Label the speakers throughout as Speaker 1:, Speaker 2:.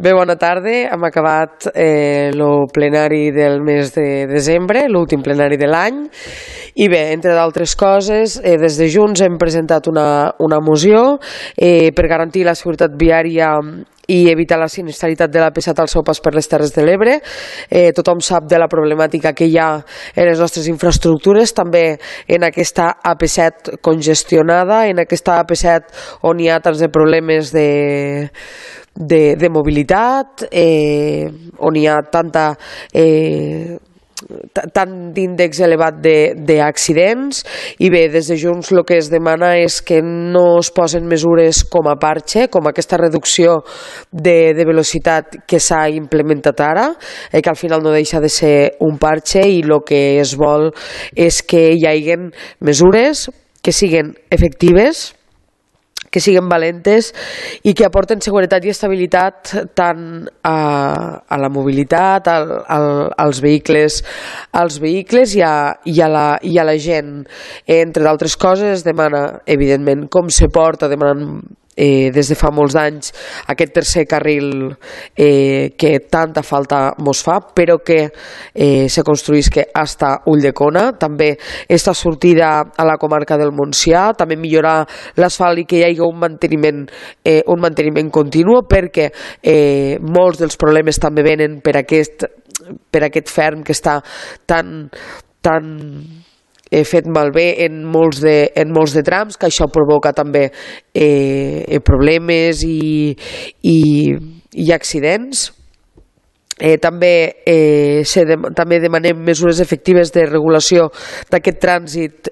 Speaker 1: Bé, bona tarda. Hem acabat el plenari del mes de desembre, l'últim plenari de l'any. I bé, entre d'altres coses, des de Junts hem presentat una moció per garantir la seguretat viària i evitar la sinistralitat de l'AP7 al seu pas per les Terres de l'Ebre. Tothom sap de la problemàtica que hi ha en les nostres infraestructures, també en aquesta AP7 congestionada, en aquesta AP7 on hi ha tants de problemes de mobilitat, on hi ha tant d'índex elevat d'accidents. I bé, des de Junts el que es demana és que no es posen mesures com a parche, com aquesta reducció de velocitat que s'ha implementat ara, que al final no deixa de ser un parche, i el que es vol és que hi hagin mesures que siguin efectives, que siguin valentes i que aporten seguretat i estabilitat tant a la mobilitat, als vehicles i a la gent. Entre d'altres coses, demana, evidentment, com se porta demanant des de fa molts anys aquest tercer carril que tanta falta mos fa, però que se construïsca hasta Ulldecona. També esta sortida a la comarca del Montsià, també millorar l'asfalt i que hi hagi un manteniment continu, perquè molts dels problemes també venen per aquest ferm que està tan fet malbé en molts de trams, que això provoca també problemes i accidents. També demanem mesures efectives de regulació d'aquest trànsit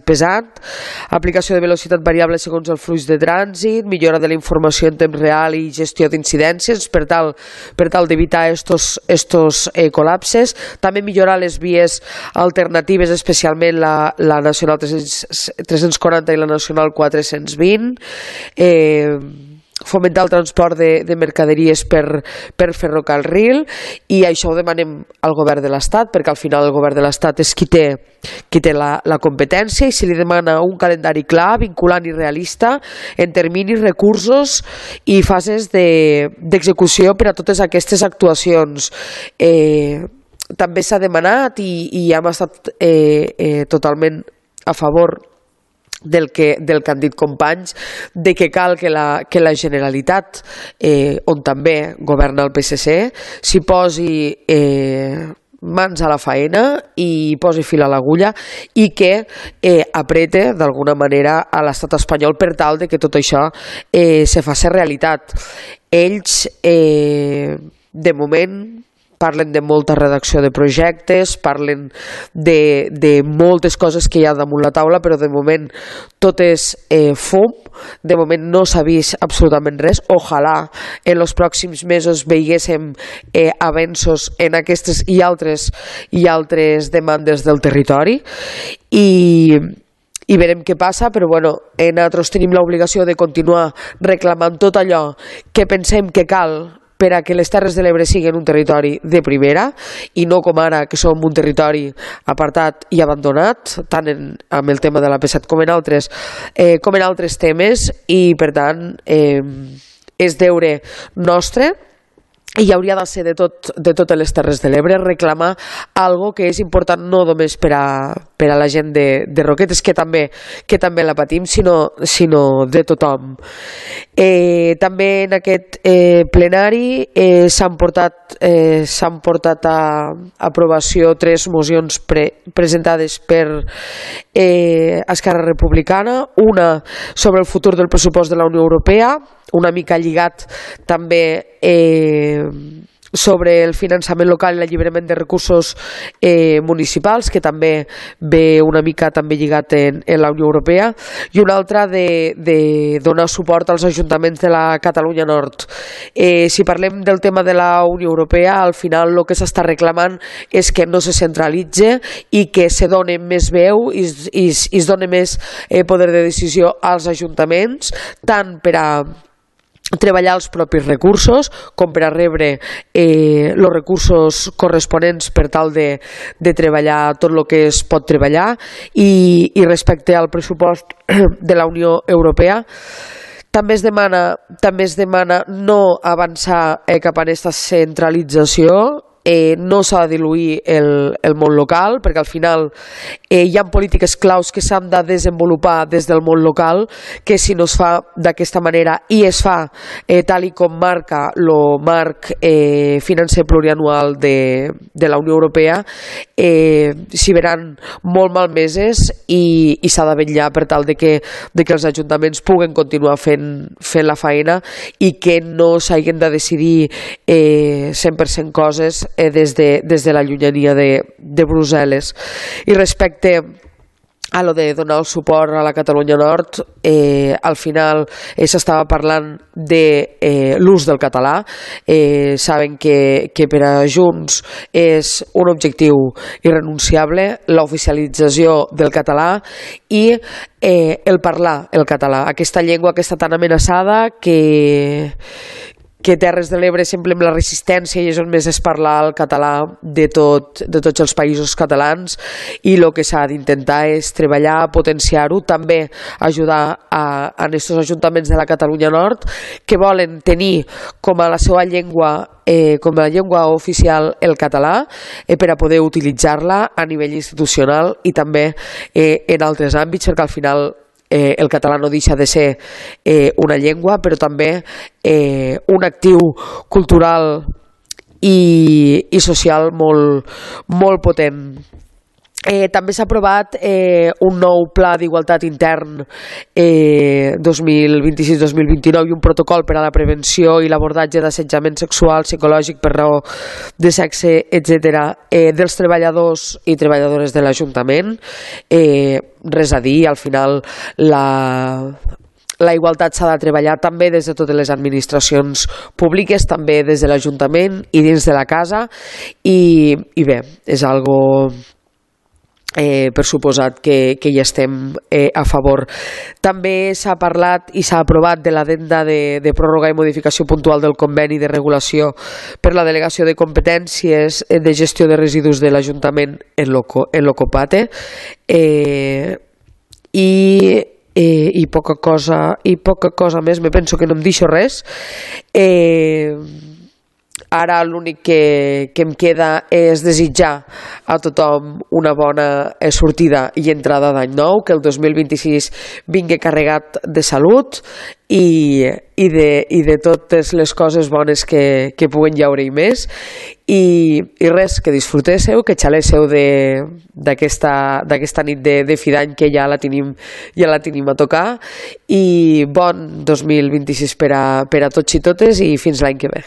Speaker 1: pesant, aplicació de velocitat variable segons el flux de trànsit, millora de la informació en temps real i gestió d'incidències per tal d'evitar estos col·lapses. També millorar les vies alternatives, especialment la Nacional 340 i la Nacional 420, fomentar el transport de mercaderies per ferrocarril, i això ho demanem al govern de l'Estat, perquè al final el govern de l'Estat és qui té la competència, i se li demana un calendari clar, vinculant i realista en terminis, recursos i fases d'execució per a totes aquestes actuacions. També s'ha demanat i hem estat totalment a favor del que han dit companys, de que cal que la Generalitat, on també governa el PSC, s'hi posi mans a la faena i posi fil a l'agulla, i que aprete d'alguna manera a l'estat espanyol per tal de que tot això se faci realitat. Ells, de moment, parlen de molta redacció de projectes, parlen de moltes coses que hi ha damunt la taula, però de moment tot és fum, de moment no s'ha vist absolutament res. Ojalà en els pròxims mesos veiéssim avenços en aquestes i altres demandes del territori, i verem què passa, però bueno, nosaltres tenim l'obligació de continuar reclamant tot allò que pensem que cal per a que les Terres de l'Ebre siguin un territori de primera, i no com ara, que som un territori apartat i abandonat, tant amb el tema de l'AP7 com en altres temes, i per tant és deure nostre, i hauria de ser de totes les Terres de l'Ebre, reclamar algo que és important no només per a la gent de Roquetes, que també la patim, sinó de tothom. També en aquest plenari s'han portat a aprovació 3 mocions presentades per Esquerra Republicana, una sobre el futur del pressupost de la Unió Europea, una mica lligat també sobre el finançament local i l'alliberament de recursos municipals, que també ve una mica també lligat en la Unió Europea, i una altra de donar suport als ajuntaments de la Catalunya Nord. Si parlem del tema de la Unió Europea, al final el que s'està reclamant és que no se centralitze i que se doni més veu i es doni més poder de decisió als ajuntaments, tant per a treballar els propis recursos com per a rebre els recursos corresponents per tal de treballar tot el que es pot treballar, i respecte al pressupost de la Unió Europea També es demana no avançar cap a aquesta centralització, no s'ha de diluir el món local, perquè al final hi ha polítiques claus que s'han de desenvolupar des del món local, que si no es fa d'aquesta manera i es fa tal i com marca el marc financer plurianual de la Unió Europea, s'hi veran molt malmeses i s'ha de vetllar per tal de que els ajuntaments puguen continuar fent la feina i que no s'hagin de decidir 100% coses des de la llunyania de Brussel·les. I respecte a lo de donar el suport a la Catalunya Nord, al final s'estava parlant de l'ús del català. Saben que per a Junts és un objectiu irrenunciable l'oficialització del català i el parlar el català, aquesta llengua que està tan amenaçada que Terres de l'Ebre sempre amb la resistència i és on més es parla el català de tots els països catalans, i el que s'ha d'intentar és treballar, potenciar-ho, també ajudar a aquests ajuntaments de la Catalunya Nord que volen tenir com a la seva llengua, com a llengua oficial el català, per a poder utilitzar-la a nivell institucional i també en altres àmbits, perquè al final el català no deixa de ser una llengua, però també un actiu cultural i social molt potent. També s'ha aprovat un nou pla d'igualtat intern 2026-2029 i un protocol per a la prevenció i l'abordatge d'assetjament sexual, psicològic per raó de sexe, etc., dels treballadors i treballadores de l'Ajuntament. Res a dir, al final la igualtat s'ha de treballar també des de totes les administracions públiques, també des de l'Ajuntament i dins de la casa, i bé, és algo per suposat que hi estem a favor. També s'ha parlat i s'ha aprovat de l'addenda de pròrroga i modificació puntual del conveni de regulació per la delegació de competències de gestió de residus de l'Ajuntament en l'Ocopate, i poca cosa més. Me penso que no em deixo res. Ara l'únic que em queda és desitjar a tothom una bona sortida i entrada d'any nou, que el 2026 vingui carregat de salut i de totes les coses bones que puguen llaure i més, i res, que disfrutéssiu, que xaléssiu d'aquesta nit de fi d'any, que ja la tenim a tocar, i bon 2026 per a tots i totes, i fins l'any que ve.